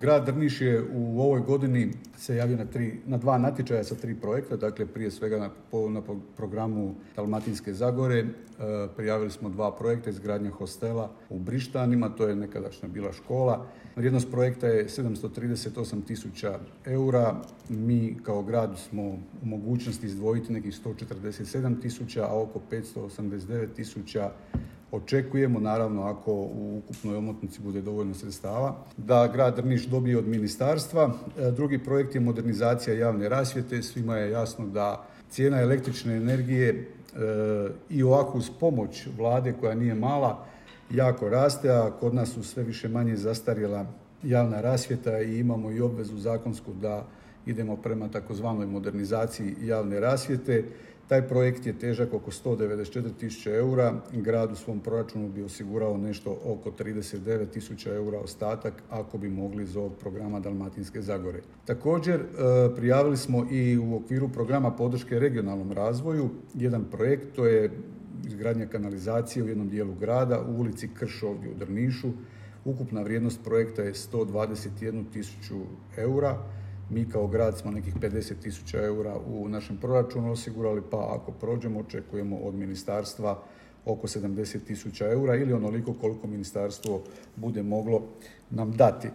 Grad Drniš je u ovoj godini se javio na 2 natječaja sa 3 projekta, dakle prije svega na programu Dalmatinske Zagore prijavili smo 2 projekta, izgradnja hostela u Brištanima, to je nekadašnja bila škola. Vrijednost projekta je 738.000 eura. Mi kao grad smo u mogućnosti izdvojiti nekih 147.000, a oko 589.000 očekujemo, naravno ako u ukupnoj omotnici bude dovoljno sredstava, da grad Drniš dobije od ministarstva. Drugi projekt je modernizacija javne rasvjete. Svima je jasno da cijena električne energije i ovako uz pomoć vlade koja nije mala jako raste, a kod nas su sve više manje zastarjela javna rasvjeta i imamo i obvezu zakonsku da idemo prema takozvanoj modernizaciji javne rasvjete. Taj projekt je težak oko 194.000 eura. Grad u svom proračunu bi osigurao nešto oko 39.000 eura ostatak ako bi mogli iz ovog programa Dalmatinske Zagore. Također prijavili smo i u okviru programa podrške regionalnom razvoju jedan projekt, to je izgradnja kanalizacije u jednom dijelu grada u ulici Krš ovdje u Drnišu. Ukupna vrijednost projekta je 121.000 eura. Mi kao grad smo nekih 50.000 eura u našem proračunu osigurali, pa ako prođemo očekujemo od ministarstva oko 70.000 eura ili onoliko koliko ministarstvo bude moglo nam dati.